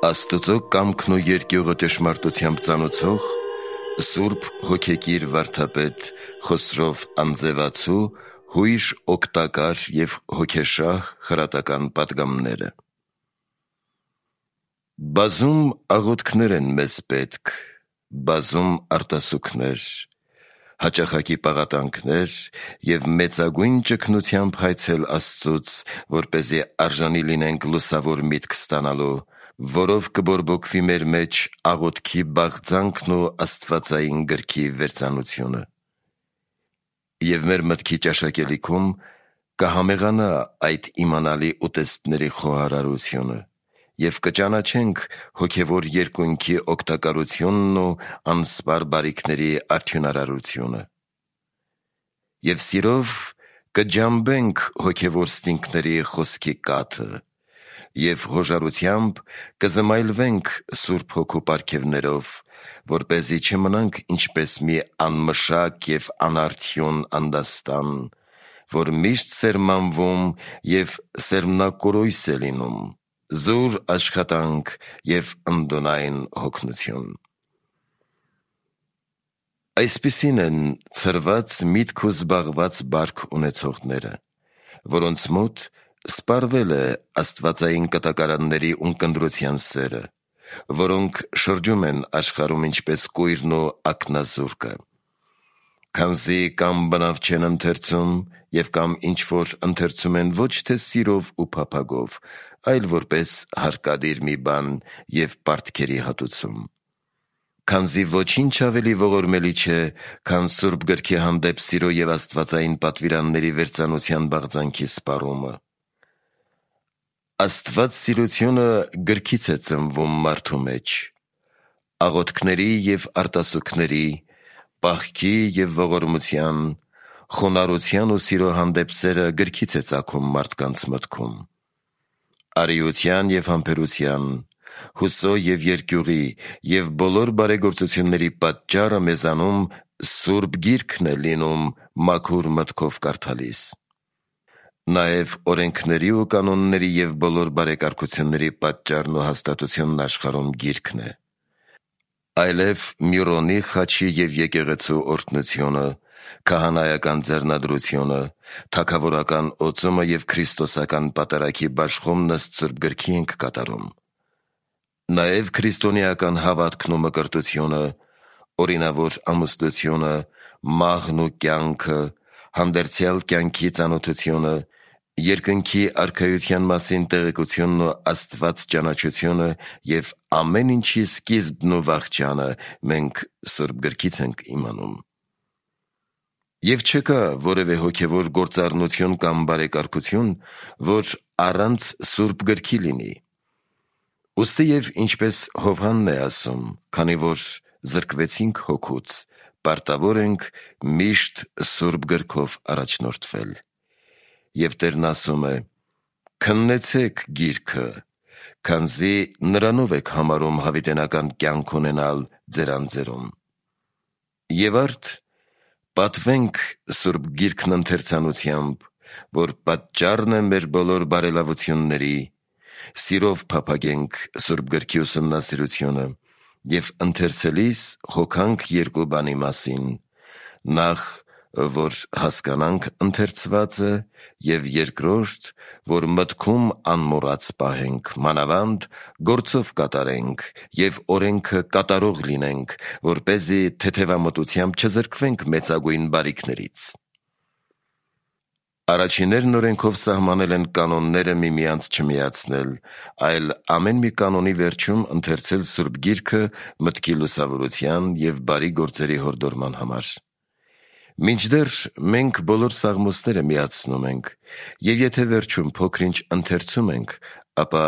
Աստծո կամքն ու երկյուղը ճշմարտությամբ ծանուցող Սուրբ հոգեկիր վարդապետ Խոսրով Անձևացու հույժ օգտակար և հոգեշահ խրատական պատգամները։ Բազում աղոթքներ են մեզ պետք, բազում արտասուքներ, հաճախակի պաղատանքներ և մեծագույն ճգնությամբ հայցել Աստծուց, որպեսզի արժանի լինենք լուսավոր միտք ստանալու, որով կբորբոքվի մեր մեջ աղոթքի բաղձանքն ու աստվածային գրքի վերծանությունը։ Եվ մեր մտքի ճաշակելիքում կհամեղանա այդ իմանալի ուտեստների խոհարարությունը և կճանաչենք հոգևոր երկունքի օգտակարությունն ու անսպար բարիքների արդյունարարությունը։ Եվ սիրով կջամբենք հոգևոր ստինքների խոսքի կաթը և հոժարությամբ կզմայլվենք Սուրբ Հոգու պարգևներով, որպեսզի չմնանք ինչպես մի անմշակ և անարդյուն անդաստան, որ միշտ սերմանվում և սերմնակորույս է լինում, զուր աշխատանք և ընդունայն հոգնություն։ Այսպիսին են ցրված միտք ու զբաղված բարք ունեցողները, որոնց մոտ սպառվել է աստվածային կտակարանների ունկնդրության սերը, որոնք շրջում են աշխարհում ինչպես կույրն ու ակնազուրկը, քանզի կամ բնավ չեն ընթերցում և կամ ինչ-որ ընթերցում են ոչ թե սիրով ու փափագով, այլ որպես հարկադիր մի բան և պարտքերի հատուցում, քանզի ոչինչ ավելի ողորմելի չէ, քան Սուրբ Գրքի հանդեպ սիրո և աստվածային պատվիրանների վերծանության բաղձանքի սպառումը։ Աստվածսիրությունը գրքից է ծնվում մարդու մեջ, աղոթքների և արտասուքների, պահքի և ողորմության, խոնարհության ու սիրո հանդեպ սերը գրքից է ծագում մարդկանց մտքում։ Արիության և համբերության, հուսո և երկյուղի և բոլոր բարեգործությունների պատճառը մեզանում Սուրբ Գիրքն է լինում մաքուր մտքով կարդալիս։ Նաև օրենքների ու կանոնների և բոլոր բարեկարգությունների պատճառն ու հաստատությունն աշխարհում Գիրքն է։ Այլև Միրոնի խաչի և եկեղեցու օրհնությունը, քահանայական ձեռնադրությունը, թագավորական օծումը և քրիստոսական պատարագի բաշխումն ըստ Սուրբ Գրքի ենք կատարում։ Նաև քրիստոնեական հավատքն ու մկրտությունը, օրինավոր ամուսնությունը, մահն ու կյանքը, հանդերձյալ կյանքի ծանոթությունը, երկնքի արքայության մասին տեղեկությունն ու Աստված ճանաչությունը և ամեն ինչի սկիզբն ու վախճանը մենք Սուրբ Գրքից ենք իմանում։ Եվ չկա որևէ հոգևոր գործառնություն կամ բարեկարգություն, որ առանց Սուրբ Գրքի լինի։ Ուստի և ինչպես Հովհաննն է ասում, քանի որ զրկվեցինք հոգուց, պարտավոր ենք միշտ Սուրբ Գրքով առաջնորդվել։ Եվ Տերն ասում է. «Քննեցեք Գիրքը, քանզի նրանով եք համարում հավիտենական կյանք ունենալ ձեր անձերում»։ Եվ արդ պատվենք Սուրբ Գիրքն ընթերցանությամբ, որ պատճառն է մեր բոլոր բարելավությունների, սիրով փափագենք Սուրբ Գրքի ուսումնասիրությունը և ընթերցելիս հոգանք երկու բանի մասին. նախ, որ հասկանանք ընթերցվածը, և երկրորդ, որ մտքում անմոռաց պահենք, մանավանդ գործով կատարենք և օրենքը կատարող լինենք, որպեսզի թեթևամտությամբ չզրկվենք մեծագույն բարիքներից։ Առաջիններն օրենքով սահմանել են կանոնները միմյանց չմիացնել, այլ ամեն մի կանոնի վերջում ընթերցել Սուրբ Գիրքը մտքի լուսավորության և բարի գործերի հորդորման համար։ Մինչդեռ մենք բոլոր սաղմոսները միացնում ենք, և եթե վերջում փոքր-ինչ ընթերցում ենք, ապա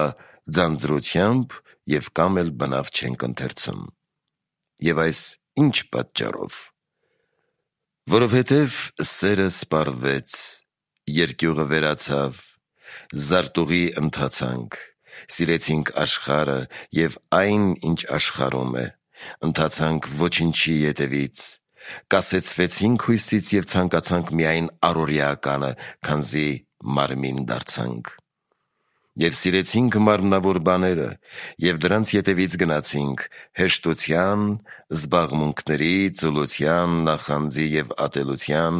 ձանձրությամբ և կամ էլ բնավ չենք ընթերցում։ Եվ այս ի՞նչ պատճառով։ Որովհետև սերը սպառվեց, երկյուղը վերացավ, զարտուղի ընթացանք, սիրեցինք աշխարհը և այն, ինչ աշխարհում է, ընթացանք ոչնչի ետևից, կասեցվեցինք հույսից և ցանկացանք միայն առօրեականը, քանզի մարմին դարձանք։ Եվ սիրեցինք մարմնավոր բաները, և դրանց ետևից գնացինք հեշտության, զբաղմունքների, ծուլության, նախանձի և ատելության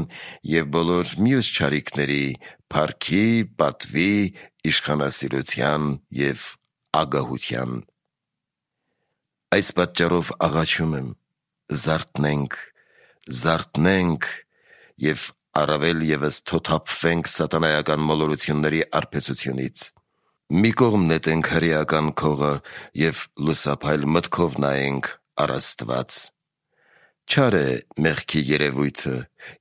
և բոլոր մյուս չարիքների, փառքի, պատվի, իշխանասիրության և ագահության։ Այս պատճառով աղաչում եմ, զարթնենք և առավել ևս թոթափվենք սատանայական մոլորությունների արբեցությունից։ Մի կողմ նետենք հրեական քողը և լուսափայլ մտքով նայենք առ Աստված։ Չար է մեղքի երևույթը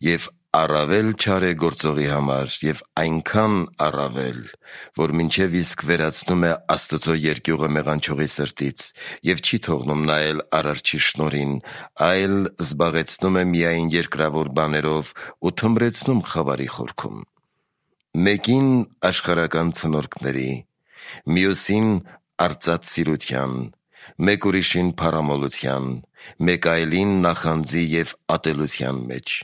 և առավել չար է գործողի համար և այնքան առավել, որ մինչև իսկ վերացնում է Աստծո երկյուղը մեղանչողի սրտից և չի թողնում նայել Արարչի շնորհին, այլ զբաղեցնում է միայն երկրավոր բաներով ու թմրեցնում խավարի խորքում։ Մեկին աշխարհական ցնորքների, մյուսին արծաթ սիրության, մեկ ուրիշին փառամոլության, մեկ այլին նախանձի և ատելության մեջ։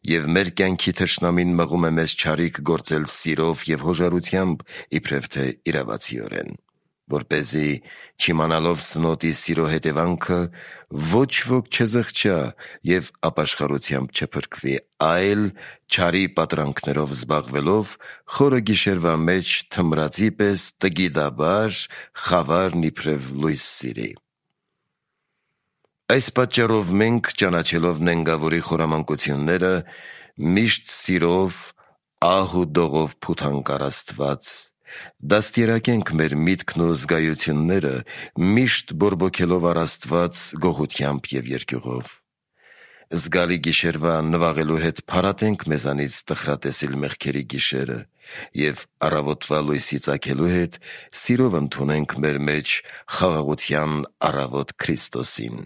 Եվ մեր կյանքի թշնամին մղում է մեզ չարիք գործել սիրով և հոժարությամբ, իբրև թե իրավացիորեն, որպեսզի չիմանալով սնոտի սիրո հետևանքը ոչ ոք չզղջա և ապաշխարությամբ չփրկվի, այլ չարի պատրանքներով զբաղվելով խորը գիշերվա մեջ թմրածի պես տգիտաբար խավարն իբրև լույս սիրի։ Այս պատճառով մենք, ճանաչելով նենգավորի խորամանկությունները, միշտ սիրով, ահ ու դողով փութանք առ Աստված, դաստիարակենք մեր միտքն ու զգայությունները, միշտ բորբոքելով առ Աստված գոհությամբ և երկյուղով։ Զգալի գիշերվա նվաղելու հետ փարատենք մեզանից տխրատեսիլ մեղքերի գիշերը և առավոտվա լույսի ծագելու հետ սիրով ընդունենք մեր մեջ խաղաղության առավոտ Քրիստոսին։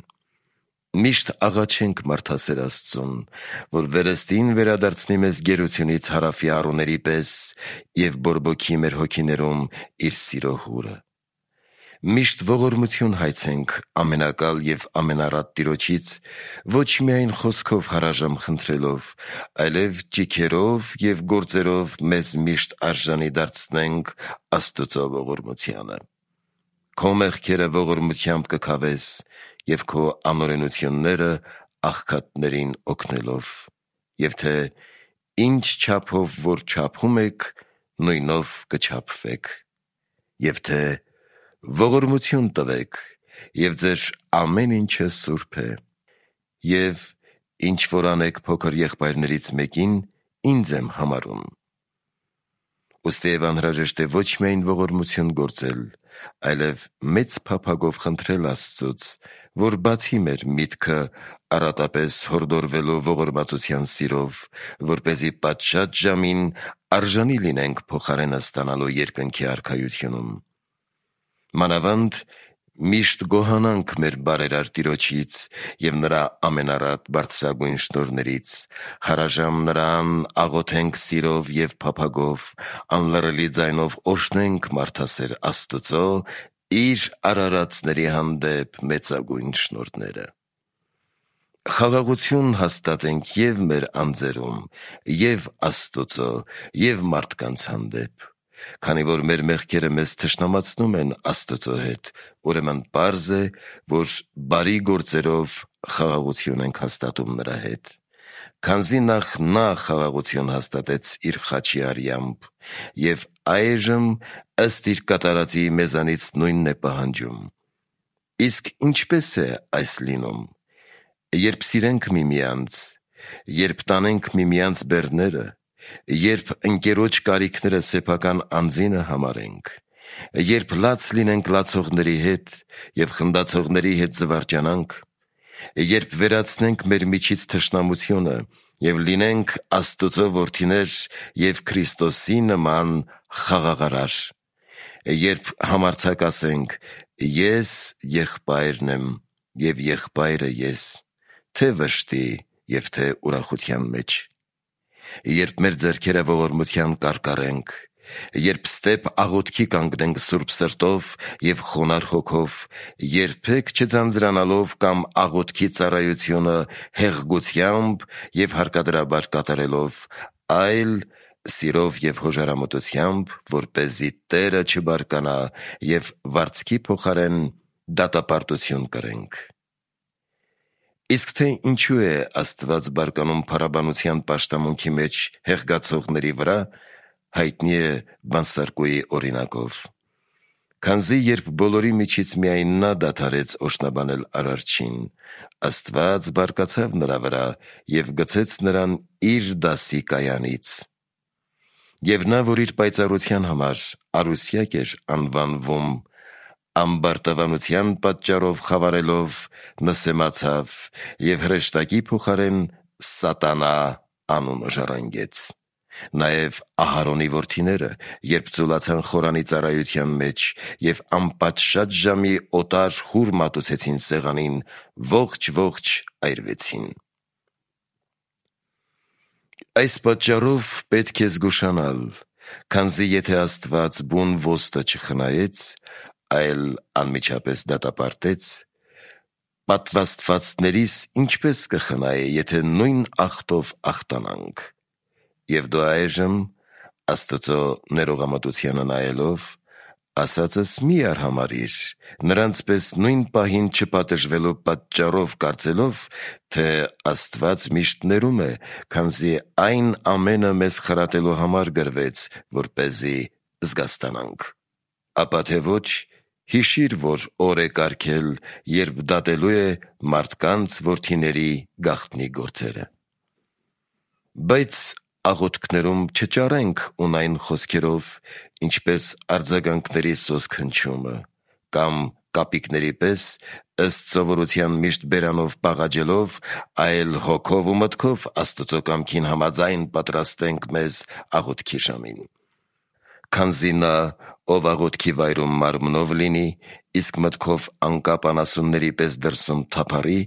Միշտ աղաչենք մարդասեր Աստծուն, որ վերստին վերադարձնի մեզ գերությունից հարավի առուների պես և բորբոքի մեր հոգիներում իր սիրո հուրը։ Միշտ ողորմություն հայցենք ամենակալ և ամենառատ Տիրոջից, ոչ միայն խոսքով հարաժամ խնդրելով, այլև ճիգերով և գործերով մեզ միշտ արժանի դարձնենք Աստծո ողորմությանը։ Քո մեղքերը ողորմությամբ կքավես և քո անօրենությունները աղքատներին օգնելով, և թե ինչ չափով որ չափում եք, նույնով կչափվեք, և թե ողորմություն տվեք, և ձեր ամեն ինչը սուրբ է, և ինչ որ անեք փոքր եղբայրներից մեկին, ինձ եմ համարում։ Ուստի անհրաժեշտ է ոչ միայն ողորմություն գործել, այլև մեծ փափագով խնդրել Աստծուց, որ բացի մեր միտքը առատապես հորդորվելու ողորմածության սիրով, որպեսզի պատշաճ ժամին արժանի լինենք փոխարենը ստանալու երկնքի արքայությունում։ Մանավանդ միշտ գոհանանք մեր բարերար Տիրոջից և նրա ամենառատ բարձրագույն շնորհներից, հարաժամ նրան աղոթենք սիրով և փափագով, անլռելի ձայնով օրհնենք մարդասեր Աստծո իր արարածների հանդեպ մեծագույն շնորհները։ Խաղաղություն հաստատենք և մեր անձերում, և Աստծո, և մարդկանց հանդեպ։ Քանի որ մեր մեղքերը մեզ թշնամացնում են Աստծո հետ, ուրեմն պարզ է, որ բարի գործերով խաղաղություն ենք հաստատում նրա հետ։ Քանզի նախ նա խաղաղություն հաստատեց իր խաչի արյամբ, և այժմ ըստ իր կատարածի մեզանից նույնն է պահանջում։ Իսկ ինչպե՞ս է այս լինում։ Երբ սիրենք միմյանց, երբ տանենք միմյանց բեռները, երբ ընկերոջ կարիքները սեփական անձինը համարենք, երբ լաց լինենք լացողների հետ և խնդացողների հետ զվարճանանք, երբ վերացնենք մեր միջից թշնամությունը և լինենք Աստծո որդիներ և Քրիստոսի նման խաղաղարար, երբ համարձակ ասենք. «Ես եղբայրն եմ, և եղբայրը ես, թե վշտի և թե ուրախության մեջ», երբ մեր ձեռքերը ողորմության կարկառենք, երբ ստեպ աղոթքի կանգնենք սուրբ սրտով և խոնարհ հոգով, երբեք չձանձրանալով կամ աղոթքի ծառայությունը հեղգությամբ և հարկադրաբար կատարելով, այլ սիրով և հոժարամտությամբ, որպեսզի Տերը չբարկանա և վարձքի փոխարեն դատապարտություն կրենք։ Իսկ թե ինչու է Աստված բարկանում փառաբանության պաշտամունքի մեջ հեղգացողների վրա, հայտնի է Բանսարկուի օրինակով։ Քանզի երբ բոլորի միջից միայն նա դադարեց օրհնաբանել Արարչին, Աստված բարկացավ նրա վրա և գցեց նրան իր դասի կայանից։ Եվ նա, որ իր պայծառության համար Արուսյակ էր անվանվում, ամբարտավանության պատճառով խավարելով նսեմացավ և հրեշտակի փոխարեն Սատանա անունը ժառանգեց։ Նաև Ահարոնի որդիները, երբ ծուլացան խորանի ծառայության մեջ և անպատշաճ ժամի օտար հուր մատուցեցին սեղանին, ողջ այրվեցին։ Այս պատճառով պետք է զգուշանալ, քանզի եթե Աստված բուն ոստը չխնայեց, այլ անմիջապես դատապարտեց, պատվաստվածներիս ինչպես կխնայե, եթե նույն ախտով ախտանանք։ Եվ դու այժմ, Աստծո ներողամտությանը նայելով, ասածս մի արհամարհիր, նրանց պես նույն պահին չպատժվելու պատճառով կարծելով, թե Աստված միշտ ներում է, քանզի այն ամենը մեզ խրատելու համար գրվեց, որպեսզի զգաստանանք։ Ապա թե ոչ, հիշիր, որ օր է կարգել, երբ դատելու է մարդկանց որդիների գաղտնի գործերը։ Բայց աղոթքներում չճարենք ունայն խոսքերով, ինչպես արձագանքների սոսկ հնչումը, կամ կապիկների պես ըստ սովորության միշտ բերանով պաղաջելով, այլ հոգով ու մտքով Աստծո կամքին համաձայն պատրաստենք մեզ աղոթքի ժամին։ Քանզի նա, ով աղոթքի վայրում մարմնով լինի, իսկ մտքով անկապ անասունների պես դրսում թափառի,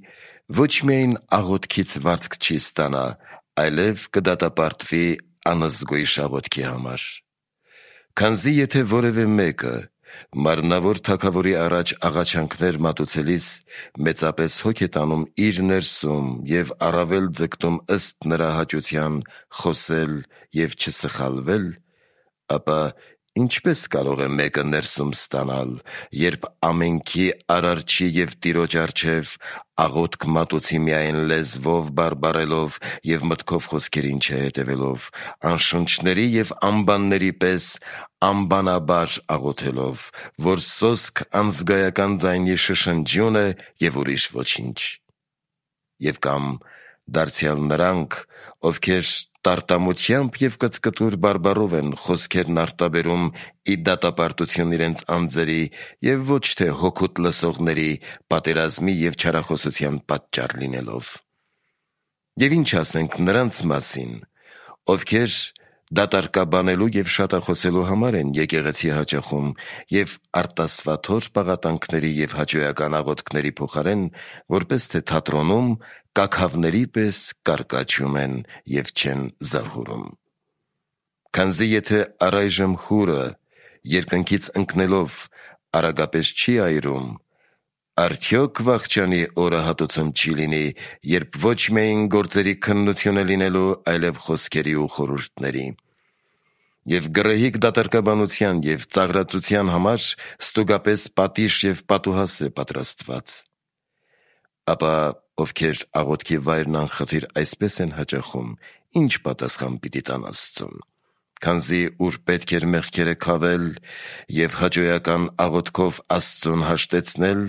ոչ միայն աղոթքից վարձք չի ստանա, այլև կդատապարտվի անզգույշ աղոթքի համար։ Քանզի եթե որևէ մեկը մարմնավոր թագավորի առաջ աղաչանքներ մատուցելիս մեծապես հոգ է տանում իր ներսում և առավել ձգտում ըստ նրա հաճության խոսել և չսխալվել, ապա ինչպես կարող է մեկը ներսում ստանալ, երբ ամենքի Արարչի և Տիրոջ առջև աղոթք մատուցի միայն լեզվով բարբառելով և մտքով խոսքերին չհետևելով, անշունչների և անբանների պես անբանաբար աղոթելով, որ սոսկ անզգայական ձայնի շշնջյուն է և ուրիշ ոչինչ։ Եվ կամ դարձյալ նրանք, ովքեր տարտամությամբ և կծկտուր բարբառով են խոսքերն արտաբերում ի դատապարտություն իրենց անձերի և ոչ թե հոգուտ լսողների պատերազմի և չարախոսության պատճառ լինելով։ Եվ ինչ ասենք նրանց մասին, ովքեր դատարկաբանելու և շատախոսելու համար են եկեղեցի հաճախում և արտասվաթոր պաղատանքների և հաճոյական աղոթքների փոխարեն, որպես թե թատրոնում կաքավների պես կարկաչում են և չեն զարհուրում։ Քանզի եթե առայժմ հուրը երկնքից ընկնելով արագապես չի այրում, արդյոք վախճանի օրը հատուցում չի լինի, երբ ոչ միայն գործերի քննություն է լինելու, այլև խոսքերի ու խորհուրդների։ Եվ գռեհիկ դատարկաբանության և ծաղրածության համար ստուգապես պատիժ և պատուհաս է պատրաստված։ Ապա ովքեր աղոթքի վայրն անխտիր այսպես են հաճախում, ինչ պատասխան պիտի տան Աստծուն։ Քանզի ուր պետք էր մեղքերը քավել և հաճոյական աղոթքով Աստծուն հաշտեցնել,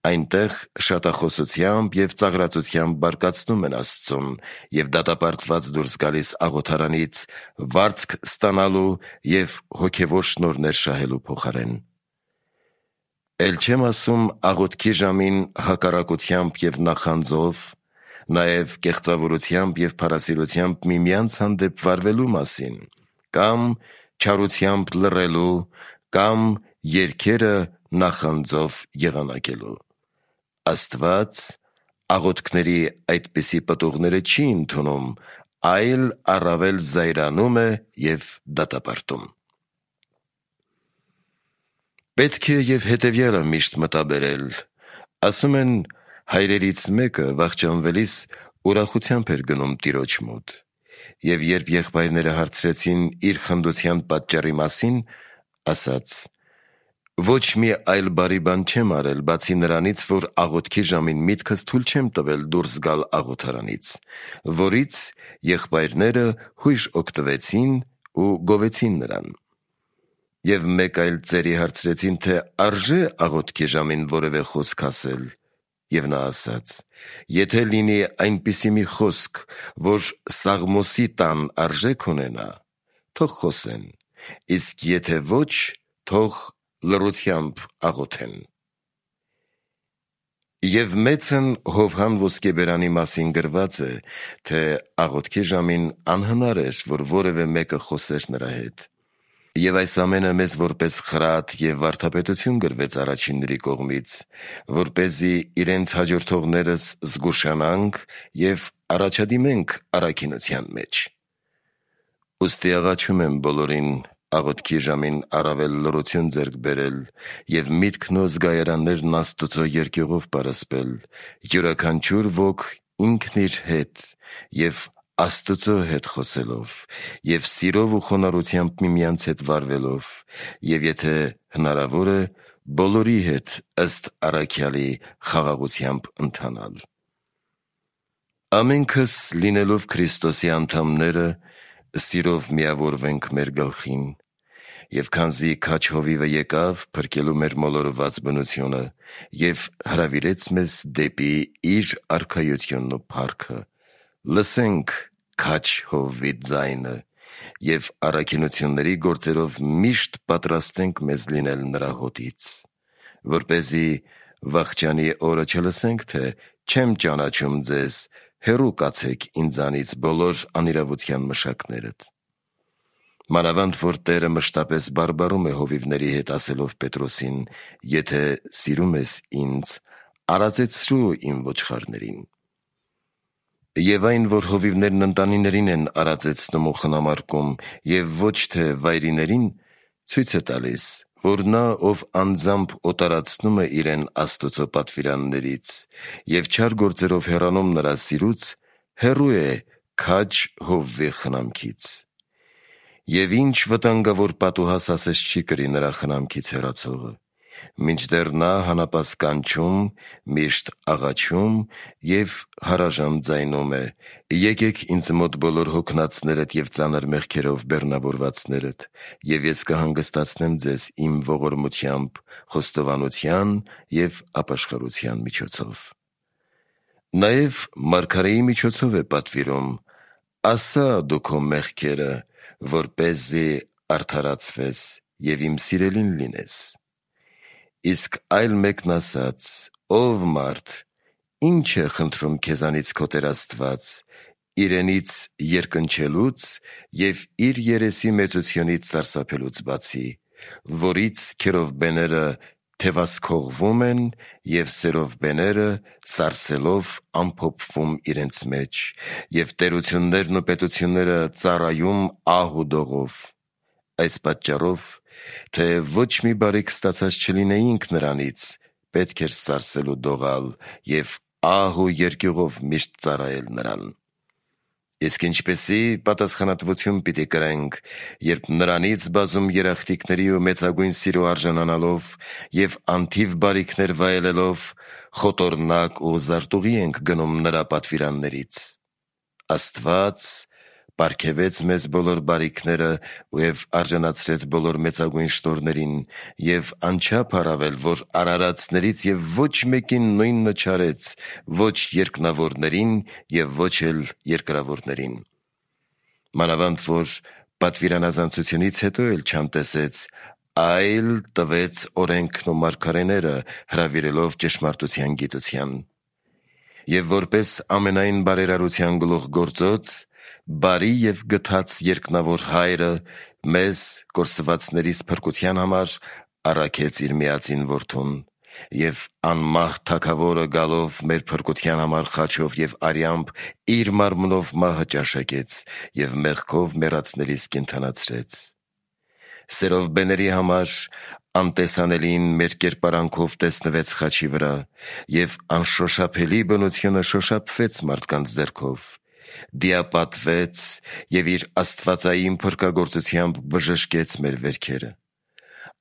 այնտեղ շատախոսությամբ և ծաղրածությամբ բարկացնում են Աստծուն և դատապարտված դուրս գալիս աղոթարանից վարձք ստանալու և հոգևոր շնորհներ շահելու փոխարեն։ Էլ չեմ ասում աղոթքի ժամին հակառակությամբ և նախանձով, նաև կեղծավորությամբ և փառասիրությամբ միմյանց հանդեպ վարվելու մասին, կամ չարությամբ լռելու, կամ երգերը նախանձով եղանակելու։ Աստված աղոթքների այդպիսի պտուղները չի ընդունում, այլ առավել զայրանում է և դատապարտում։ Պետք է և հետևյալը միշտ մտաբերել. ասում են, հայրերից մեկը վախճանվելիս ուրախությամբ էր գնում տիրոջ մոտ, Եվ երբ եղբայրները հարցրեցին իր խնդության պատճառի մասին, ասաց. «Ոչ մի այլ բարի բան չեմ արել, բացի նրանից, որ աղոթքի ժամին միտքս թույլ չեմ տվել դուրս գալ աղոթարանից, որից եղբայրները հույժ օգտվեցին ու գովեցին նրան»։ Եվ մեկ այլ ծերի հարցրեցին, թե արժե աղոթքի ժամին որևէ խոսք ասել, եւ նա ասաց. «Եթե լինի այնպիսի մի խոսք, որ Սաղմոսի տան արժեք ունենա, թող խոսեն, իսկ եթե ոչ, թող լռությամբ աղոթեն»։ Եվ մեծն Հովհան ոսկեբերանի մասին գրված է, թե աղոթքի ժամին անհնար էր, որ որևէ մեկը խոսեր նրա հետ։ Եվ այս ամենը մեզ որպես խրատ և վարդապետություն գրվեց առաջինների կողմից, որպեսզի իրենց հաջորդողներս զգուշանանք և առաջադիմենք առաքինության մեջ։ Ուստի աղաչում եմ բոլորին աղոթքի ժամին առավել լռություն ձեռք բերել և միտքն ու զգայարաններն Աստծո երկյուղով պարսպել, յուրաքանչյուր ոք ինքն իր հետ և Աստծո հետ խոսելով և սիրով ու խոնարհությամբ միմյանց հետ վարվելով, և եթե հնարավոր է, բոլորի հետ ըստ առաքյալի խաղաղությամբ ընթանալ։ Ամենքս լինելով Քրիստոսի անդամները, սիրով միավորվենք մեր գլխին, և քանզի քաջ հովիվը եկավ փրկելու մեր մոլորված բնությունը և հրավիրեց մեզ դեպի իր արքայությունն ու փառքը, լսենք քաջ հովվի ձայնը և առաքինությունների գործերով միշտ պատրաստենք մեզ լինել նրա հոտից, որպեսզի վախճանի օրը չլսենք, թե չեմ ճանաչում ձեզ, հեռու կացեք ինձանից բոլոր անիրավության մշակներդ։ Մանավանդ որ Տերը մշտապես բարբառում է հովիվների հետ, ասելով Պետրոսին. «Եթե սիրում ես ինձ, արածեցրու իմ ոչխարներին»։ Եվ այն, որ հովիվներն ընտանիներին են արածեցնում ու խնամարկում և ոչ թե վայրիներին, ցույց է տալիս, որ նա, ով անձամբ օտարացնում է իրեն Աստծո պատվիրաններից և չար գործերով հեռանում նրա սիրուց, հեռու է քաջ հովվի խնամքից։ Եվ ինչ վտանգավոր պատուհաս ասես չի կրի նրա խնամքից հեռացողը, մինչդեռ նա հանապաս կանչում, միշտ աղաչում և հարաժան ձայնում է. «Եկեք ինձ մոտ բոլոր հոգնածներդ և ծանր մեղքերով բեռնավորվածներդ, և ես կհանգստացնեմ ձեզ իմ ողորմությամբ, խոստովանության և ապաշխարության միջոցով»։ Նաև մարգարեի միջոցով է պատվիրում. «Ասա դու քո մեղքերը, որպեսզի արդարացվես և իմ սիրելին լինես»։ Իսկ այլ մեկն ասաց. «Ով մարդ, ի՞նչ է խնդրում քեզանից քո Տեր Աստված, իրենից երկնչելուց և իր երեսի մեծությունից սարսափելուց բացի, որից քերովբեները թևասքողվում են և սերովբեները սարսելով ամփոփվում իրենց մեջ, և տերություններն ու պետությունները ծառայում ահ ու դողով։ Այս պատճառով, թե ոչ մի բարիք ստացած չլինեինք նրանից, պետք էր սարսել ու դողալ և ահ ու երկյուղով միշտ ծառայել նրան։ Իսկ ինչպիսի պատասխանատվություն պիտի կրենք, երբ նրանից բազում երախտիկների ու մեծագույն սիրո արժանանալով և անթիվ բարիքներ վայելելով խոտոռնակ ու զարտուղի ենք գնում նրա պատվիրաններից։ Աստված պարգևեց մեզ բոլոր բարիքները և արժանացրեց բոլոր մեծագույն շնորհներին և անչափ առավել, որ արարածներից և ոչ մեկին նույնը չարեց, ոչ երկնավորներին և ոչ էլ երկրավորներին։ Մանավանդ որ պատվիրանազանցությունից հետո էլ չանտեսեց, այլ տվեց օրենքն ու մարգարեները, հրավիրելով ճշմարտության գիտության։ Եվ որպես ամենայն բարերարության գլուխգործոց, բարի և գթած երկնավոր Հայրը մեզ կորսվածներիս փրկության համար առաքեց իր միածին Որդուն, և անմահ Թագավորը գալով մեր փրկության համար խաչով և արյամբ իր մարմնով մահը ճաշակեց և մեղքով մեռածներիս կենդանացրեց։ Սերովբեների համար անտեսանելին մեր կերպարանքով տեսնվեց խաչի վրա, և անշոշափելի բնությունը շոշափվեց մարդկանց ձեռքով, դիապատվեց և իր աստվածային փրկագործությամբ բժշկեց մեր վերքերը։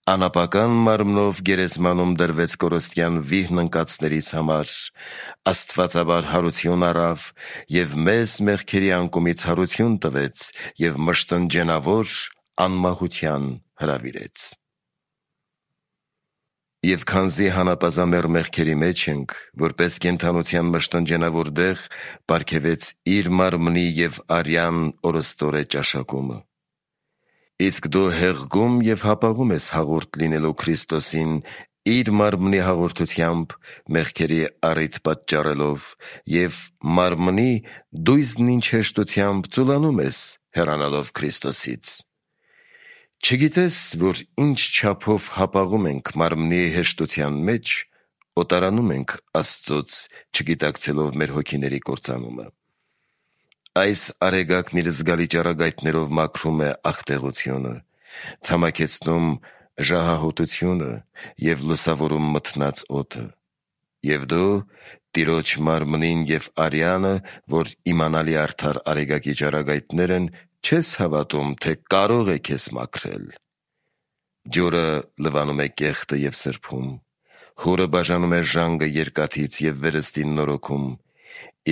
Անապական մարմնով գերեզմանում դրվեց կորստյան վիհն ընկածներից համար, աստվածաբար հարություն առավ և մեզ մեղքերի անկումից հարություն տվեց և մշտնջենավոր անմահության հրավիրեց։ Եվ քանզի հանապազամեռ մեղքերի մեջ ենք, որպես կենդանության մշտնջենավոր դեղ պարգևեց իր մարմնի և արյան օրըստօրե ճաշակումը։ Իսկ դու հեղգում և հապաղում ես հաղորդ լինելու Քրիստոսին իր մարմնի հաղորդությամբ մեղքերի առիթ պատճառելով և մարմնի դույզնին հեշտությամբ ծուլանում ես հեռանալով Քրիստոսից։ Չգիտես, որ ինչ չափով հապաղում ենք մարմնի հեշտության մեջ, օտարանում ենք Աստծոց, չգիտակցելով մեր հոգիների կործանումը։ Այս արեգակն իր զգալի ճառագայթներով մաքրում է աղտեղությունը, ցամաքեցնում ժահահոտությունը և լուսավորում մթնած օդը։ Եվ դու Տիրոջ մարմնին և արյանը, որ իմանալի արդար արեգակի ճառագայթներ են, չես հավատում, թե կարող է քեզ մաքրել։ Ջուրը լվանում է կեղտը և սրբում, հուրը բաժանում է ժանգը երկաթից և վերստին նորոգում,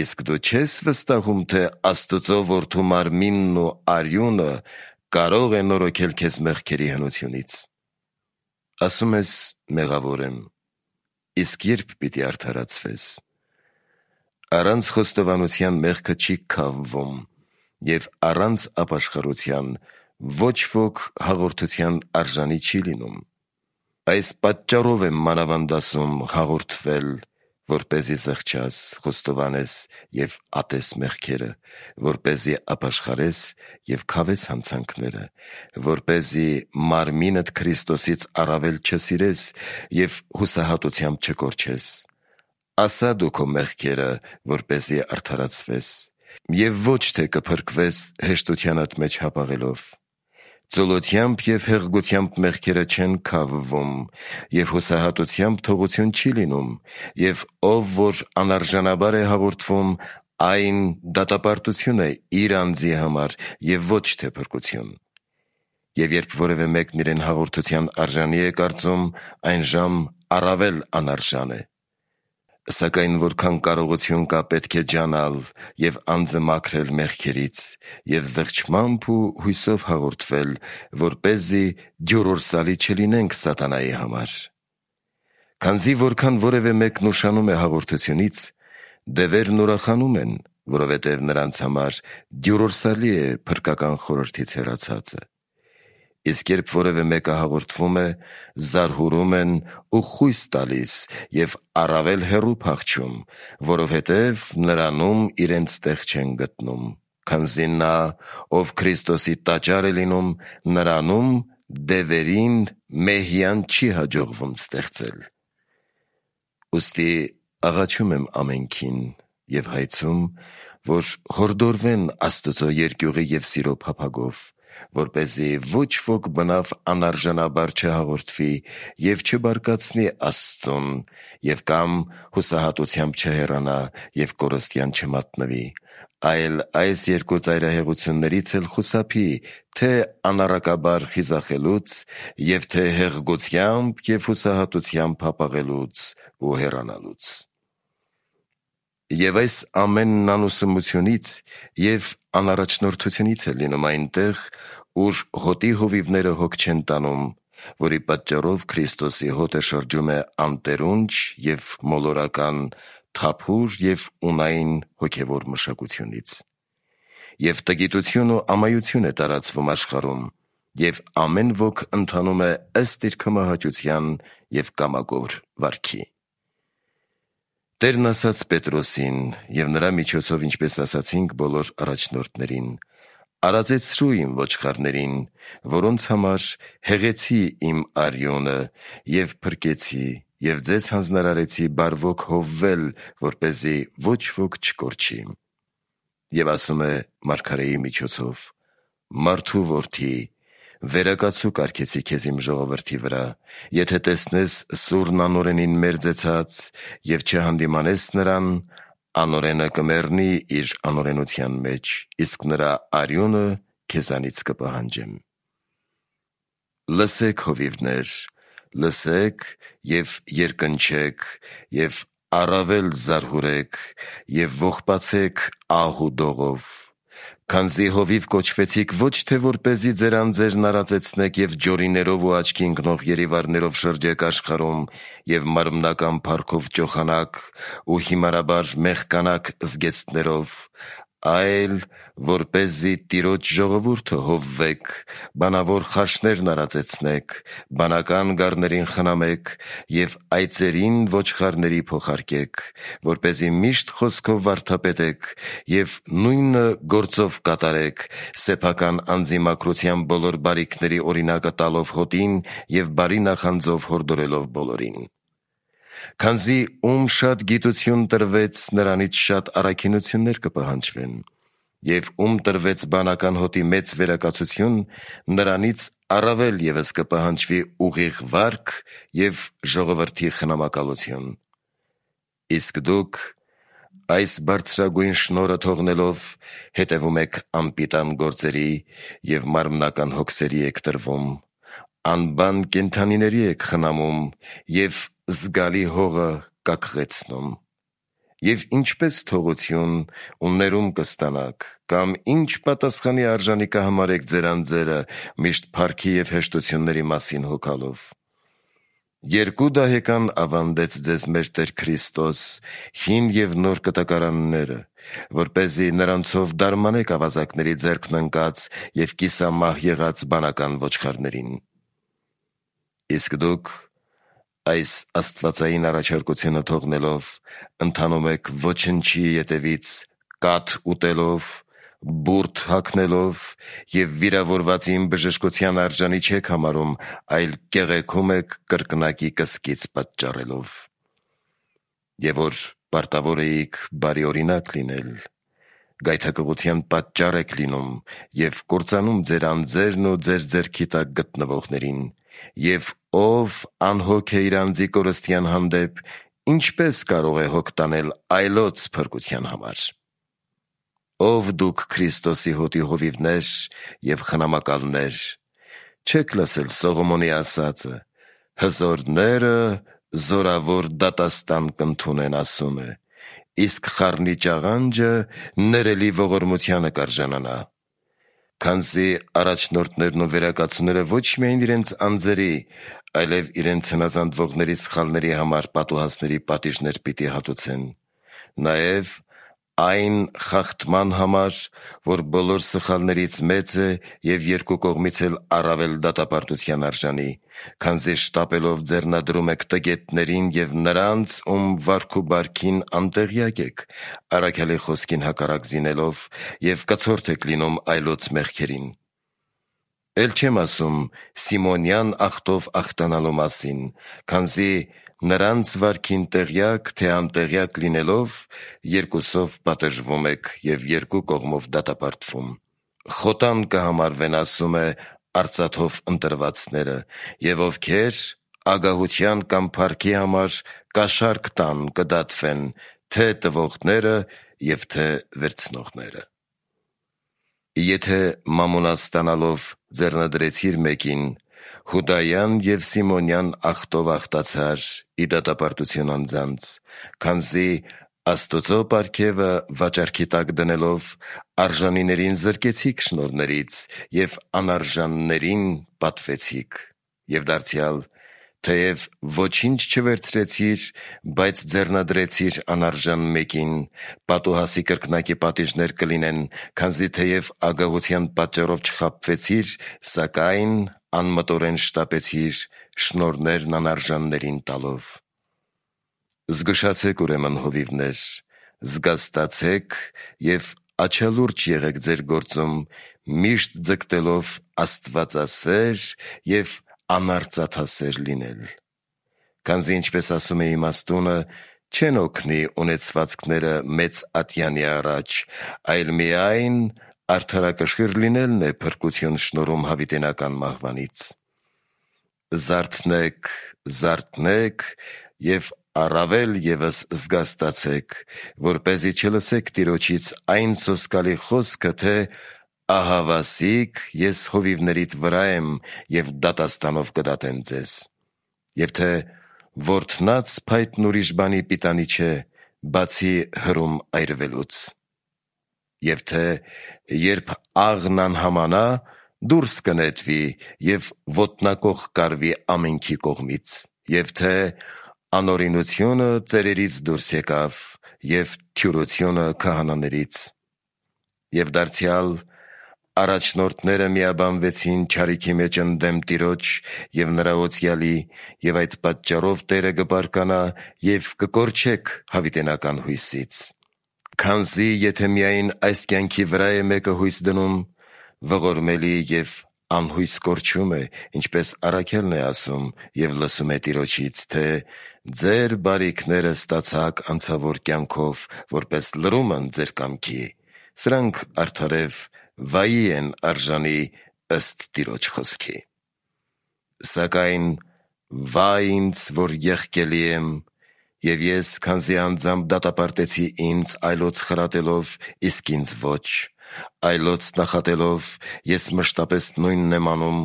իսկ դու չես վստահում, թե Աստծո որդու մարմինն ու արյունը կարող է նորոգել քեզ մեղքերի հնությունից։ Ասում ես՝ մեղավոր եմ, իսկ երբ պիտի արդարացվես։ Առանց խոստովանության մեղքը չի քավվում, և առանց ապաշխարության ոչ ոք հաղորդության արժանի չի լինում։ Այս պատճառով եմ մանավանդ ասում հաղորդվել, որպեսզի զղջաս, խոստովանես և ատես մեղքերը, որպեսզի ապաշխարես և քավես հանցանքները, որպեսզի մարմինդ Քրիստոսից առավել չսիրես և հուսահատությամբ չկորչես։ Ասա դու քո մեղքերը, որպեսզի արդարացվես, և ոչ թե կփրկվես հեշտությանդ մեջ հապաղելով։ Ծուլությամբ և հեղգությամբ մեղքերը չեն քավվում, և հուսահատությամբ թողություն չի լինում, և ով որ անարժանաբար է հաղորդվում, այն դատապարտություն է իր անձի համար և ոչ թե փրկություն։ Եվ երբ որևէ մեկն իրեն հաղորդության արժանի է կարծում, այնժամ առավել անարժան է։ Սակայն որքան կարողություն կա, պետք է ջանալ և անձը մաքրել մեղքերից և զղջմամբ ու հույսով հաղորդվել, որպեսզի դյուրորսալի չլինենք սատանայի համար։ Քանզի որքան որևէ մեկն ուշանում է հաղորդությունից, դևերն ուրախանում են, որովհետև նրանց համար դյուրորսալի է փրկական խորհրդից հեռացածը։ Իսկ երբ որևէ մեկը հաղորդվում է, զարհուրում են ու խույս տալիս և առավել հեռու փախչում, որովհետև նրանում իրենց տեղ չեն գտնում, քանզի նա, ով Քրիստոսի տաճար է լինում, նրանում դևերին մեհյան չի հաջողվում ստեղծել։ Ուստի աղաչում եմ ամենքին և հայցում, որ հորդորվեն Աստծո երկյուղի և սիրո փափագով, որպեսզի ոչ ոք բնավ անարժանաբար չհաղորդվի և չբարկացնի Աստծուն և կամ հուսահատությամբ չհեռանա և կորստյան չմատնվի, այլ այս երկու ծայրահեղություններից էլ խուսափի, թե անառակաբար խիզախելուց և թե հեղգությամբ և հուսահատությամբ հապաղելուց ու հեռանալուց։ Եվ այս ամենն անուսումությունից և անառաջնորդությունից է լինում այնտեղ, ուր հոտի հովիվները հոգ չեն տանում, որի պատճառով Քրիստոսի հոտը շրջում է անտերունջ և մոլորական, թափուր և ունայն հոգևոր մշակությունից։ Եվ տգիտություն ու ամայություն է տարածվում աշխարհում, և ամեն ոք ընթանում է ըստ իր քմահաճության և կամագոր վարքի։ Տերն ասաց Պետրոսին և նրա միջոցով, ինչպես ասացինք բոլոր առաջնորդներին. «Արածեցրու իմ ոչխարներին, որոնց համար հեղեցի իմ արյունը և փրկեցի և ձեզ հանձնարարեցի բարվոք հովվել, որպեսզի ոչ ոք չկորչի»։ Եվ ասում է մարգարեի միջոցով. «Մարդու որդի, վերակացու կարգեցի քեզ իմ ժողովրդի վրա, եթե տեսնես սուրն անօրենին մերձեցած և չհանդիմանես նրան, անորենը կմեռնի իր անորենության մեջ, իսկ նրա արյունը քեզանից կպահանջեմ։ Լսեք, հովիվներ, լսեք և երկնչեք և առավել զարհուրեք և ողբացեք ահ ու դողով, քանզի հովիվ կոչվեցիք ոչ թե որպեսզի ձեր անձերն արածեցնեք և ջորիներով ու աչքի ընկնող երիվարներով շրջեք աշխարհում և մարմնական փառքով ճոխանաք ու հիմարաբար մեղկանաք զգեստներով, այլ որպեսզի Տիրոջ ժողովուրդը հովվեք, բանավոր խարշներն արածեցնեք, բանական գառներին խնամեք և այծերին ոչխարների փոխարկեք, որպեսզի միշտ խոսքով վարդապետեք և նույնը գործով կատարեք, սեփական անձի մաքրության բոլոր բարիքների օրինակը տալով հոտին և բարի նախանձով հորդորելով բոլորին։ Քանզի ում շատ գիտություն տրվեց, նրանից շատ առաքինություններ կպահանջվեն, և ում տրվեց բանական հոտի մեծ վերակացություն, նրանից առավել ևս կպահանջվի ուղիղ վարք և ժողովրդի խնամակալություն։ Իսկ դուք այս բարձրագույն շնորհը թողնելով հետևում եք անպիտան գործերի և մարմնական հոգսերի եք տրվում, անբան կենդանիների եք խնամում և զգալի հողը կաքղեցնում։ Եվ ինչպես թողություն ու ներում կստանաք, կամ ինչ պատասխանի արժանի կհամարեք ձեր անձերը միշտ փառքի և հեշտությունների մասին հոգալով։ Երկու դահեկան ավանդեց ձեզ մեր Տեր Քրիստոս, հին և նոր կտակարանները, որպեսզի նրանցով դարմանեք ավազակների ձեռքն ընկած և կիսամահ եղած բանական ոչխարներին։ Իսկ դուք այս աստվածային առաջարկությունը թողնելով ընթանում եք ոչնչի ետևից կաթ ուտելով, բուրդ հագնելով և վիրավորվածին բժշկության արժանի չեք համարում, այլ կեղեքում եք կրկնակի կսկիծ պատճառելով։ Եվ որ պարտավոր էիք բարի օրինակ լինել, գայթակղության պատճառ եք լինում և կործանում ձեր անձերն ու ձեր ձեռքի տակ գտնվողներին, և ով անհոգ է իր անձի կորստյան հանդեպ, ինչպես կարող է հոգ տանել այլոց փրկության համար։ Ով դուք Քրիստոսի հոտի հովիվներ և խնամակալներ, չե՞ք լսել Սողոմոնի ասածը. «Հզորները զորավոր դատաստան կընդունեն», ասում է, իսկ խառնի ճաղանջը ներելի ողորմությանը կարժանանա։ Քանզի առաջնորդներն ու վերակացուները ոչ միայն իրենց անձերի, այլև իրենց հնազանդվողների սխալների համար պատուհասների պատիժներ պիտի հատուցեն, նաև այն խախտման համար, որ բոլոր սխալներից մեծ է և երկու կողմից էլ առավել դատապարտության արժանի, քանզի շտապելով ձեռնադրում եք տգետներին և նրանց, ում վարք ու բարքին անտեղյակ եք, առաքյալի խոսքին հակառակ զինելով և կցորդ եք լինում այլոց մեղքերին։ Էլ չեմ ասում Սիմոնյան ախտով ախտանալու մասին, քանզի նրանց վարքին տեղյակ թե անտեղյակ լինելով, երկուսով պատժվում եք և երկու կողմով դատապարտվում։ Խոտան կհամարվեն, ասում է, արծաթով ընտրվածները, և ովքեր ագահության կամ փառքի համար կաշառք տան, կդատվեն, թե տվողները և թե վերցնողները։ Եթե մամոնա ստանալով ձեռնադրեցիր մեկին, Հուդայան և Սիմոնյան ախտով ախտացար ի դատապարտություն անձանց, քանզի Աստծո պարգևը վաճառքի տակ դնելով արժանիներին զրկեցիք շնորհներից և անարժաններին պատվեցիք, և դարձյալ թեև ոչինչ չվերցրեցիր, բայց ձեռնադրեցիր անարժան մեկին, պատուհասի կրկնակի պատիժներ կլինեն, քանզի թեև ագահության պատճառով չխաբվեցիր, սակայն անմտորեն շտապեցիր շնորհներն անարժաններին տալով։ Զգուշացեք ուրեմն, հովիվներ, զգաստացեք և աչալուրջ եղեք ձեր գործում, միշտ ձգտելով աստվածասեր և անարծաթասեր լինել։ Քանզի ինչպես ասում է իմաստունը, չեն օգնի ունեցվածքները մեծ ատյանի առաջ, այլ միայն արդարակշիռ լինելն է փրկություն շնորհում հավիտենական մահվանից։ Զարթնեք, զարթնեք և առավել ևս զգաստացեք, որպեսզի չլսեք Տիրոջից այն սոսկալի խոսքը, թե ահավասիկ ես հովիվներիդ վրա եմ և դատաստանով կդատեմ ձեզ, և թե որդնած փայտն ուրիշ բանի պիտանի չէ, բացի հրում այրվելուց, և թե երբ աղն անհամանա, դուրս կնետվի և ոտնակոխ կարվի ամենքի կողմից, և թե անօրինությունը ծերերից դուրս եկավ և թյուրությունը քահանաներից, և դարձյալ առաջնորդները միաբանվեցին չարիքի մեջ ընդդեմ Տիրոջ և նրա օծյալի, և այդ պատճառով Տերը կբարկանա և կկորչեք հավիտենական հույսից, քանզի եթե միայն այս կյանքի վրա է մեկը հույս դնում, ողորմելի և անհույս կորչում է, ինչպես առաքյալն է ասում և լսում է Տիրոջից, թե ձեր բարիքները ստացաք անցավոր կյանքով, որպես լրումն ձեր կամքի, սրանք արդարև վայի են արժանի ըստ Տիրոջ խոսքի։ Սակայն վայ ինձ, որ եղկելի եմ, և ես, քանզի անձամբ դատապարտեցի ինձ այլոց խրատելով, իսկ ինձ ոչ, այլոց նախատելով, ես մշտապես նույնն եմ անում,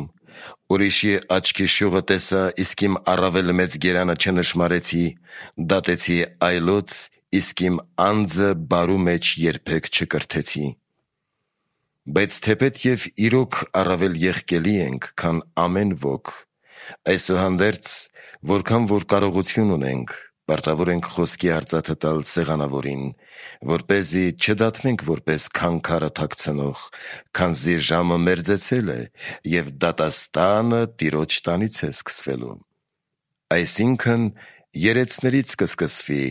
ուրիշի աչքի շուղը տեսա, իսկ իմ առավել մեծ գերանը չնշմարեցի, դատեցի այլոց, իսկ իմ անձը բարու մեջ երբեք չկրթեցի։ Բայց թեպետ և իրոք առավել եղկելի ենք, քան ամեն ոք, այսուհանդերձ, որքան որ կարողություն ունենք, պարտավոր ենք խոսքի արծաթը տալ սեղանավորին, որպեսզի չդատվենք որպես քանքարը թաքցնող, քանզի ժամը մերձեցել է, և դատաստանը Տիրոջ տանից է սկսվելու։ Այսինքն երեցներից կսկսվի,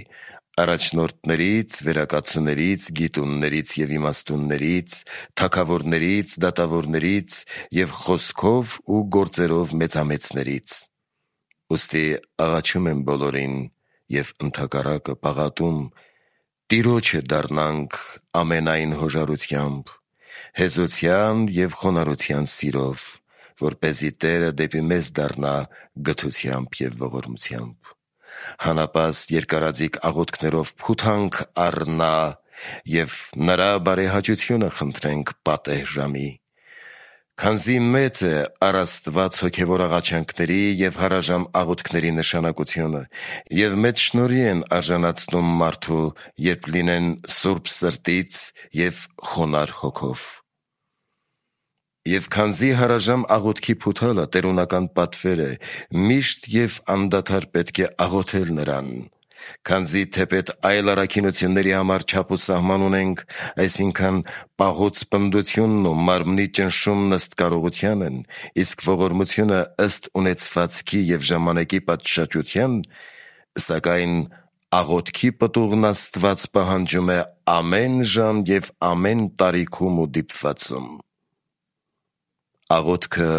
առաջնորդներից, վերակացուներից, գիտուններից և իմաստուններից, թագավորներից, դատավորներից և խոսքով ու գործերով մեծամեծներից։ Ուստի աղաչում եմ բոլորին և ընդհակառակը պաղատում, Տիրոջը դառնանք ամենայն հոժարությամբ, հեզոցյան և խոնարհության սիրով, որպեսզի Տերը դեպի մեզ դառնա գթությամբ և ողորմությամբ։ Հանապաստ երկարաձիգ աղոթքներով փութանք առ Նա և նրա բարեհաճությունը խնդրենք պատեհ ժամի, քանզի մեծ է առ Աստված հոգևոր աղաչանքների և հարաժամ աղոթքների նշանակությունը, և մեծ շնորհի են արժանացնում մարդու, երբ լինեն սուրբ սրտից և խոնարհ հոգով։ Եվ քանզի հարաժամ աղոթքի փութալը տերունական պատվեր է, միշտ և անդադար պետք է աղոթել Նրան, քանզի թեպետ այլ առաքինությունների համար չափ ու սահման ունենք, այսինքն պաղուց պնդությունն ու մարմնի ճնշումն ըստ կարողության են, իսկ ողորմությունը ըստ ունեցվածքի և ժամանակի պատշաճության, սակայն աղոթքի պտուղն Աստված պահանջում է ամեն ժամ և ամեն տարիքում ու դիպվածում։ Աղոթքը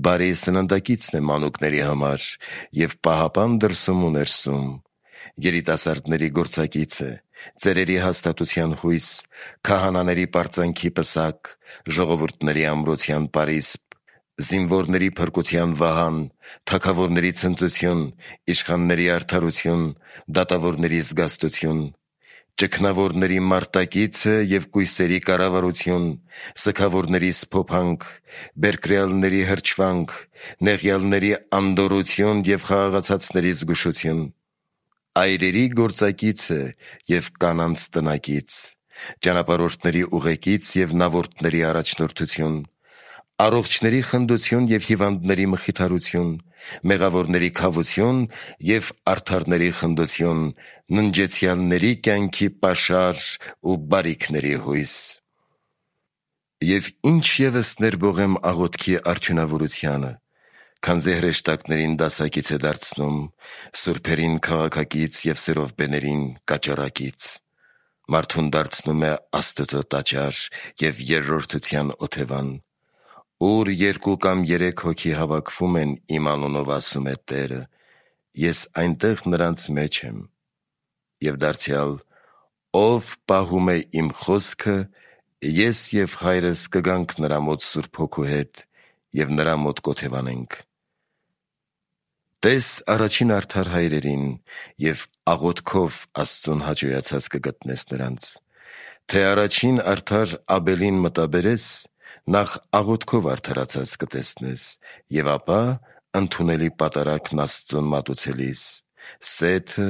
բարի սննդակիցն է մանուկների համար և պահապան դրսում ու ներսում, երիտասարդների գործակից է, ծերերի հաստատության հույս, քահանաների պարծանքի պսակ, ժողովուրդների ամրության պարիսպ, զինվորների փրկության վահան, թագավորների ցնծություն, իշխանների արդարություն, դատավորների զգաստություն, ճգնավորների մարտակիցը և կույսերի կառավարություն, սգավորների սփոփանք, բերկրյալների հրճվանք, նեղյալների անդորրություն և խաղաղացածների զգուշություն, այրերի գործակիցը և կանանց տնակից, ճանապարհորդների ուղեկից և նավորդների առաջնորդություն, առողջների խնդություն և հիվանդների մխիթարություն, մեղավորների քավություն և արդարների խնդություն, ննջեցյալների կյանքի պաշար ու բարիքների հույս։ Եվ ինչ ևս ներբողեմ աղոթքի արդյունավորությանը, քանզի հրեշտակներին դասակից է դարձնում, սուրբերին քաղաքակից և սերովբեներին կաճառակից, մարդուն դարձնում է Աստծո տաճար և երրորդության օթևան, ուր 2 կամ 3 հոգի հավաքվում են իմ անունով, ասում է Տերը, ես այնտեղ նրանց մեջ եմ։ Եվ դարձյալ, ով պահում է իմ խոսքը, ես և Հայրս կգանք նրա մոտ Սուրբ Հոգու հետ և նրա մոտ կօթևանենք։ Տես առաջին արդար հայրերին և աղոթքով Աստծուն հաճոյացած կգտնես նրանց, թե առաջին արդար Աբելին մտաբերես, նախ աղոթքով արդարացած կտեսնես, և ապա ընդունելի պատարագն Աստծուն մատուցելիս, Սեթը,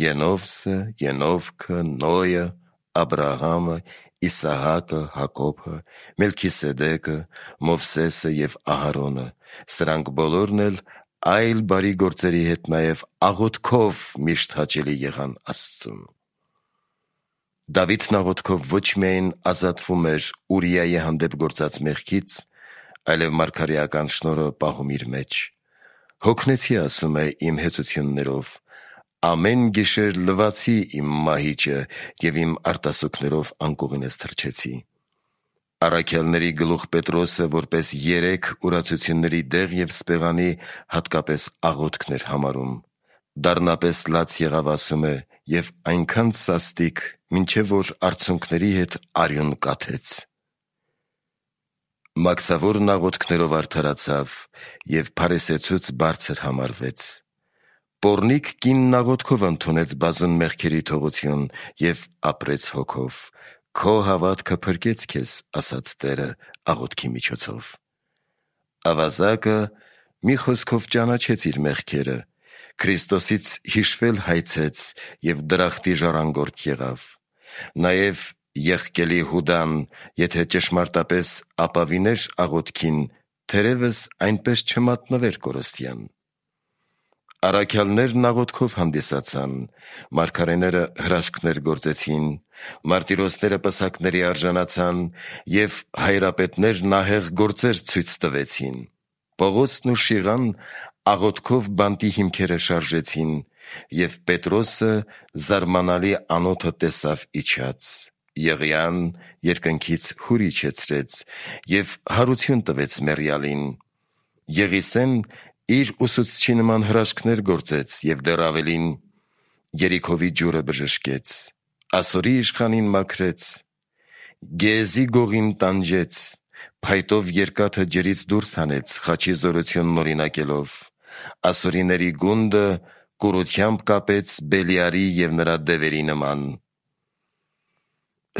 Ենովսը, Ենովքը, Նոյը, Աբրահամը, Իսահակը, Հակոբը, Մելքիսեդեկը, Մովսեսը և Ահարոնը, սրանք բոլորն էլ այլ բարի գործերի հետ նաև աղոթքով միշտ հաճելի եղան Աստծուն։ Դավիթն աղոթքով ոչ միայն ազատվում էր Ուրիայի հանդեպ գործած մեղքից, այլև մարգարեական շնորհը պահում իր մեջ։ Հոգնեցի, ասում է, իմ հեծություններով, ամեն գիշեր լվացի իմ մահիճը և իմ արտասուքներով անկողինս թռչեցի։ Առաքյալների գլուխ Պետրոսը որպես 3 ուրացությունների դեղ և սպեղանի հատկապես աղոթքն էր համարում։ Դառնապես լաց եղավ, ասում է, և այնքան սաստիկ, մինչև որ արցունքների հետ արյուն կաթեց։ Մաքսավորն աղոթքներով արդարացավ և փարիսեցուց բարձր համարվեց։ Պոռնիկ կինն աղոթքով ընդունեց բազում մեղքերի թողություն և ապրեց հոգով։ Քո հավատքը փրկեց քեզ, ասաց Տերը աղոթքի միջոցով։ Ավազակը մի խոսքով ճանաչեց իր մեղքերը, Քրիստոսից հիշվել հայցեց և դրախտի ժառանգորդ եղավ։ Նաև եղկելի Հուդան, եթե ճշմարտապես ապավիներ աղոթքին, թերևս այնպես չմատնվեր կորստյան։ Առաքյալներն աղոթքով հանդիսացան, մարգարեները հրաշքներ գործեցին, մարտիրոսները պսակների արժանացան և հայրապետներն ահեղ գործեր ցույց տվեցին։ Պողոսն ու Շիղան աղոթքով բանտի հիմքերը շարժեցին, և Պետրոսը զարմանալի անոթը տեսավ իջած։ Եղիան երկնքից հուր իջեցրեց և հարություն տվեց մեռյալին։ Եղիսեն իր ուսուցչի նման հրաշքներ գործեց և դեռ ավելին. Երիքովի ջուրը բժշկեց, Ասորի իշխանին մաքրեց, Գեզի գողին տանջեց, փայտով երկաթը ջրից դուրս հանեց, խաչի զորությունն օրինակելով, ասորիների գունդը կուրությամբ կապեց Բելիարի և նրա դևերի նման։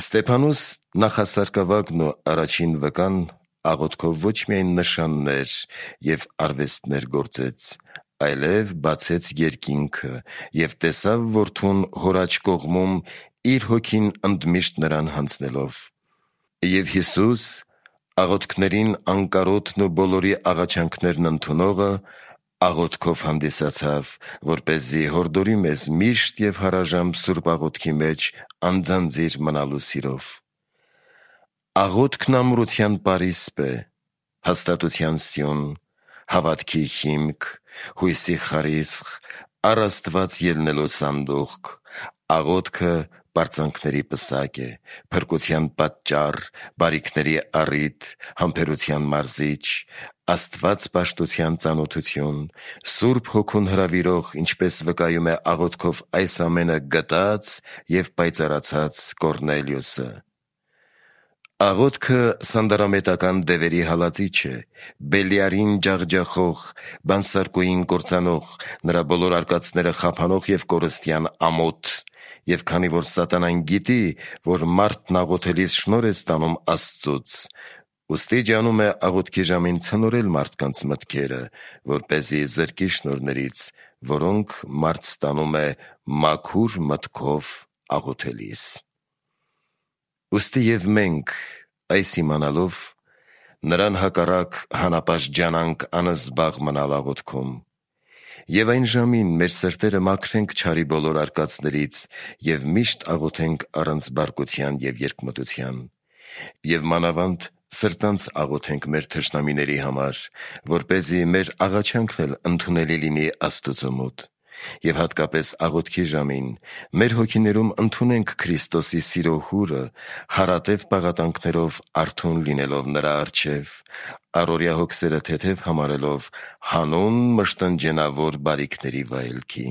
Ստեփանոս նախասարկավագն ու առաջին վկան աղոթքով ոչ միայն նշաններ և արվեստներ գործեց, այլև բացեց երկինքը և տեսավ որդուն հոր աջ կողմում իր հոգին ընդմիշտ նրան հանձնելով։ Եվ Հիսուս, աղոթքներին անկարոտն ու բոլորի աղաչանքներն ընդունողը, աղոթքով հանդիսացավ, որպեսզի հորդորի մեզ միշտ և հարաժամ սուրբ աղոթքի մեջ անձանձիր մնալու սիրով։ Աղոթքն ամրության պարիսպ է, հաստատության սյուն, հավատքի հիմք, հույսի խարիսխ, առ Աստված ելնելու սանդուղք։ Աղոթքը պարծանքների պսակ է, փրկության պատճառ, բարիքների առիթ, համբերության մարզիչ, Աստված պաշտության ծանոթություն, Սուրբ Հոգուն հրավիրող, ինչպես վկայում է աղոթքով այս ամենը գտած և պայծառացած Կոռնելիոսը։ Աղոթքը սանդարամետական դևերի հալածիչ է, Բելիարին ջախջախող, բանսարկուին կործանող, նրա բոլոր արկածները խափանող և կորստյան ամոթ։ Եվ քանի որ սատանան գիտի, որ մարդն աղոթելիս շնորհ է ստանում Աստծուց, ուստի ջանում է աղոթքի ժամին ցնորել մարդկանց մտքերը, որպեսզի զրկի շնորհներից, որոնք մարդ ստանում է մաքուր մտքով աղոթելիս։ Ուստի և մենք, այս իմանալով, նրան հակառակ հանապաշտջանանք անզբաղ մնալ աղոթքում, և այն ժամին մեր սրտերը մաքրենք չարի բոլոր արկածներից և միշտ աղոթենք առանց բարկության և երկմտության, և մանավանդ սրտանց աղոթենք մեր թշնամիների համար, որպեսզի մեր աղաչանքն էլ ընդունելի լինի Աստծու մոտ, և հատկապես աղոթքի ժամին մեր հոգիներում ընդունենք Քրիստոսի սիրո հուրը, հարատև պաղատանքներով արթուն լինելով նրա առջև, առօրյա հոգսերը թեթև համարելով հանուն մշտնջենավոր բարիքների վայելքի։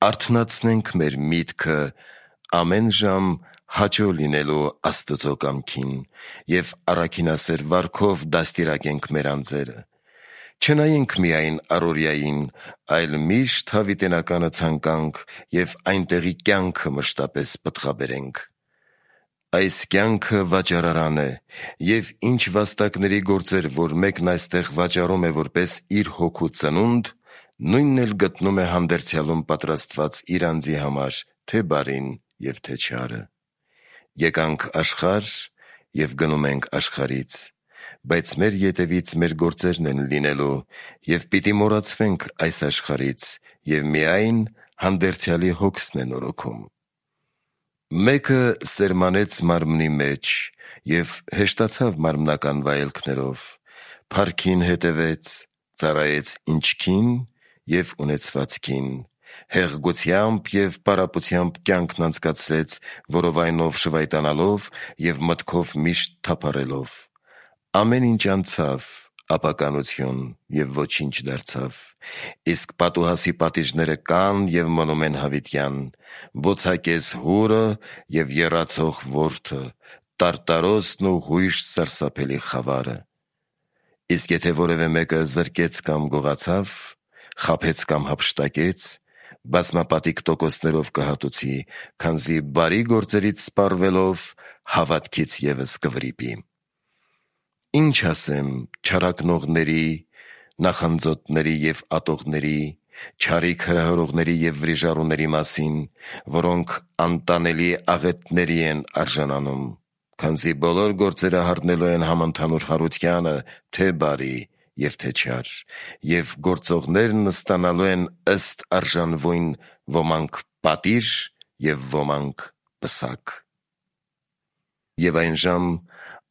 Արթնացնենք մեր միտքը ամեն ժամ հաճո լինելու Աստծո կամքին և առաքինասեր վարքով դաստիարակենք մեր անձերը, Չնայենք միայն առօրյային, այլ միշտ հավիտենականը ցանկանք եւ այնտեղի կյանքը մշտապես պտղաբերենք։ Այս կյանքը վաճառարան է, եւ ինչ վաստակների գործեր, որ մեկն այստեղ վաճառում է որպես իր հոգու ծնունդ, նույնն էլ գտնում է հանդերձյալում պատրաստված իր անձի համար, թե բարին եւ թե չարը։ Եկանք աշխարհ եւ գնում ենք աշխարհից, բայց մեր ետևից մեր գործերն են լինելու եւ պիտի մոռացվենք այս աշխարհից եւ միայն հանդերձյալի հոգսն է նորոգում։ Մեկը սերմանեց մարմնի մեջ եւ հեշտացավ մարմնական վայելքներով, փառքին հետևեց, ծառայեց ինչքին եւ ունեցվածքին, հեղգությամբ եւ պարապությամբ կյանքն անցկացրեց, որովայնով շվայտանալով եւ մտքով միշտ թափառելով։ Ամեն ինչ անցավ, ապականություն եւ ոչինչ դարձավ, իսկ պատուհասի պատիժները կան եւ մնում են հավիտյան, բոցակես հուրը եւ եռացող որդը, տարտարոսն ու հույժ սարսափելի խավարը։ Իսկ եթե որևէ մեկը զրկեց կամ գողացավ, խաբեց կամ հափշտակեց, բազմապատիկ տոկոսներով կհատուցի, քանզի բարի գործերից սպառվելով հավատքից եւս կվրիպի։ Ինչ ասեմ չարակնողների, նախանձոտների եւ ատողների, չարիք հրահրողների եւ վրիժառուների մասին, որոնք անտանելի աղետների են արժանանում, քանզի բոլոր գործերը հառնելու են համընդհանուր հարությանը, թե բարի եւ թե չար, եւ գործողներն ստանալու են ըստ արժանվույն, ոմանք պատիժ եւ ոմանք պսակ։ Եվ այն ժամ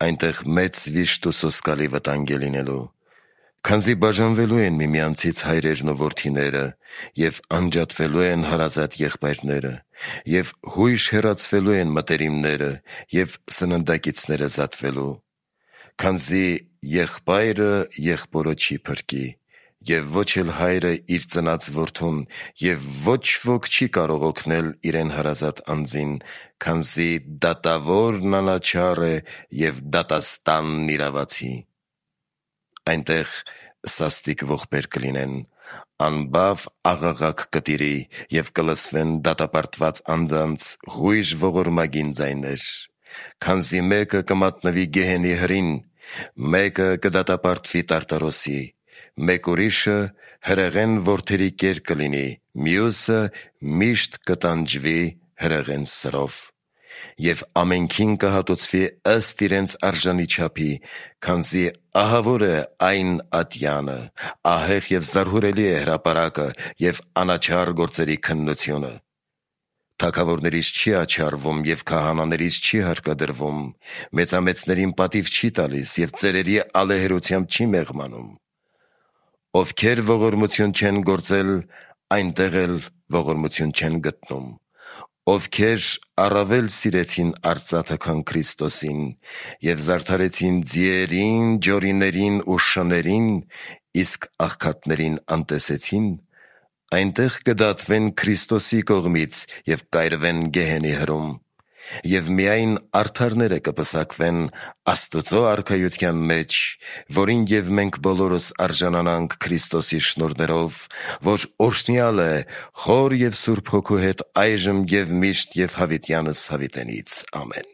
այնտեղ մեծ վիշտ ու սոսկալի վտանգ է լինելու, քանզի բաժանվելու են միմյանցից հայրերն ու որդիները, եւ անջատվելու են հարազատ եղբայրները, եւ հույժ հեռացվելու են մտերիմները, եւ սննդակիցները զատվելու, քանզի եղբայրը եղբորը չի փրկի, եւ ոչ էլ հայրը իր ծնած որդուն, եւ ոչ ոք չի կարող օգնել իրեն հարազատ անձին, քանզի դատավորն անաչառ է եւ դատաստանն իրավացի։ Այնտեղ սաստիկ ողբեր կլինեն, անբավ աղաղակ կտիրի եւ կլսվեն դատապարտված անձանց հույժ ողորմագին ձայներ, քանզի մեկը կմատնվի գեհենի հրին, մեկը կդատապարտվի տարտարոսի, մեկ ուրիշը հրեղեն որդերի կեր կլինի, մյուսը միշտ կտանջվի հրեղեն սրով, եւ ամենքին կհատուցվի ըստ իրենց արժանի չափի, քանզի ահավոր է այն ատյանը, ահեղ եւ զարհուրելի է հրապարակը եւ անաչառ գործերի քննությունը։ Թագավորներից չի աչառվում եւ քահանաներից չի հարկադրվում, մեծամեծներին պատիվ չի տալիս եւ ծերերի ալեհերությամբ չի մեղմանում։ Ովքեր ողորմություն չեն գործել, այնտեղ էլ ողորմություն չեն գտնում, ովքեր առավել սիրեցին արծաթը, քան Քրիստոսին, եւ զարդարեցին ձիերին, ջորիներին ու շներին, իսկ աղքատներին անտեսեցին, այնտեղ կդատվեն Քրիստոսի կողմից եւ կայրվեն գեհենի հրում, եւ միայն արդարները կպսակվեն Աստծո արքայության մեջ, որին եւ մենք բոլորս արժանանանք Քրիստոսի շնորհներով, որ օրհնյալ է խոր եւ սուրբ հոգու հետ այժմ եւ միշտ եւ հավիտյանս հավիտենից։ Ամեն։